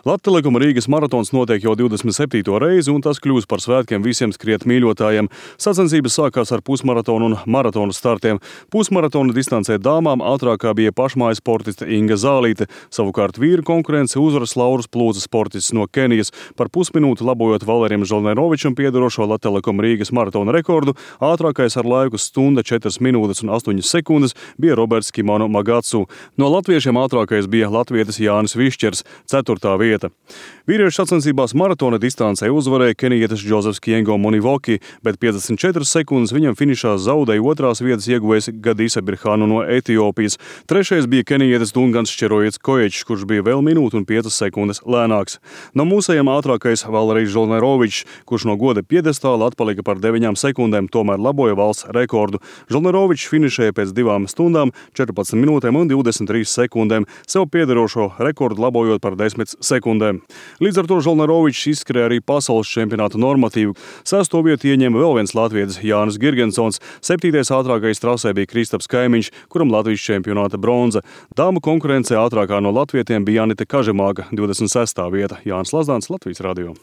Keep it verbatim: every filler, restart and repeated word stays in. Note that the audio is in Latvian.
Lattelekuma Rīgas maratons notiek jau divdesmit septīto reizi, un tas kļūs par svētkiem visiem skriet mīļotājiem. Sacensības sākās ar pusmaratonu un maratonu startiem. Pusmaratona distancē dāmām ātrākā bija pašmājas sportiste Inga Zālīte. Savukārt vīru konkurence uzvaras Lauras Plūces sportists no Kenijas. Par pusminūti labojot Valerim Žolnerovičam piedarošo Lattelekuma Rīgas maratona rekordu, ātrākais ar laiku stunda četras minūtes un astoņas sekundes bija Roberts Kimono Magatsu. No latviešiem ātrākais bija latvietis Jānis Višķers, ceturtā vieta. Vīriešu sacensībās maratona distancē uzvarēja kenijietis Džozefs Kiengo Munivoki, bet piecdesmit četras sekundes viņam finišā zaudēja otrās vietas ieguvējs Gadisa Birhānu no Etiopijas. Trešais bija kenijietis Dungans Šķerojets Koječs, kurš bija vēl minūtu un piecas sekundes lēnāks. No mūsējiem ātrākais Valerijs Žolnerovičs, kurš no goda piedestāla atpalika par deviņām sekundēm, tomēr laboja valsts rekordu. Žolnerovičs finišēja pēc divām stundām, četrpadsmit minūtēm un divdesmit trīs sekundēm, sev piederošo rekordu labojot par desmit sekundēm. Līdz ar to Žolnerovičs izskrēja arī pasaules čempionāta normatīvu. Sesto vietu ieņēma vēl viens latvietis Jānis Girgensons. Septītais ātrākais trasē bija Kristaps Kaimiņš, kuram Latvijas čempionāta bronza. Dāmu konkurencē ātrākā no latvietiem bija Janite Kažemāka, divdesmit sestā vieta. Jānis Lazdāns, Latvijas radio.